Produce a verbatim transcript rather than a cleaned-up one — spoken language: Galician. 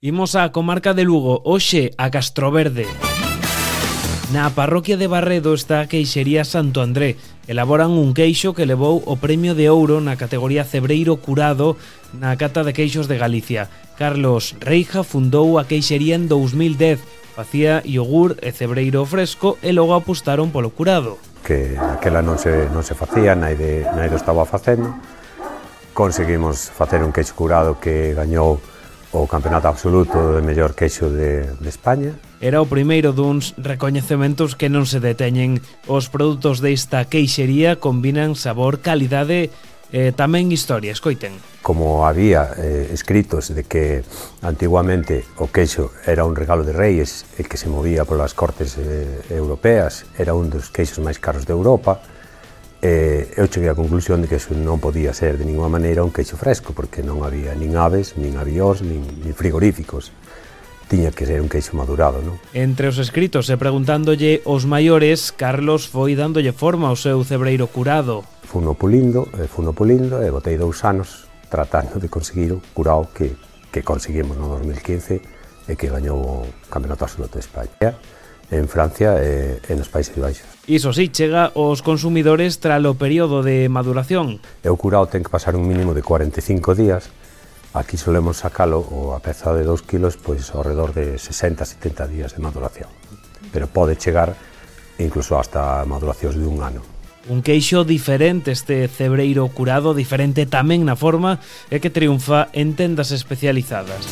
Imos á comarca de Lugo, hoxe a Castroverde. Na parroquia de Barredo está a queixería Santo André. Elaboran un queixo que levou o premio de ouro na categoría Cebreiro Curado na cata de queixos de Galicia. Carlos Reija fundou a queixería en dous mil dez. Facía iogur e cebreiro fresco e logo apostaron polo curado. Que aquela non se, non se facía, naide, naide estaba facendo. Conseguimos facer un queixo curado que gañou o campeonato absoluto de mellor queixo de, de España. Era o primeiro duns recoñecementos que non se deteñen. Os produtos desta queixería combinan sabor, calidade e tamén historia. Escoiten. Como había eh, escritos de que antiguamente o queixo era un regalo de reis e que se movía polas cortes eh, europeas, era un dos queixos máis caros de Europa, eh, eu cheguei á conclusión de que eso non podía ser de ninguna maneira un queixo fresco, porque non había nin aves, nin avións, nin, nin frigoríficos. Tiña que ser un queixo madurado, non? Entre os escritos e preguntándolle os maiores, Carlos foi dándolle forma ao seu cebreiro curado. Funo pulindo, e funo pulindo, e botei dous anos tratando de conseguir o curado que, que conseguimos no dos mil quince e que gañou o Campeonato Absoluto de España en Francia e, e nos Países Baixos. Iso sí, chega aos consumidores tralo período de maduración. E o curado ten que pasar un mínimo de cuarenta e cinco días. Aquí solemos sacalo, ou a peza de dous kilos, pois ao redor de sesenta a setenta días de maduración. Pero pode chegar incluso hasta maduracións de un ano. Un queixo diferente este cebreiro curado, diferente tamén na forma, e que triunfa en tendas especializadas.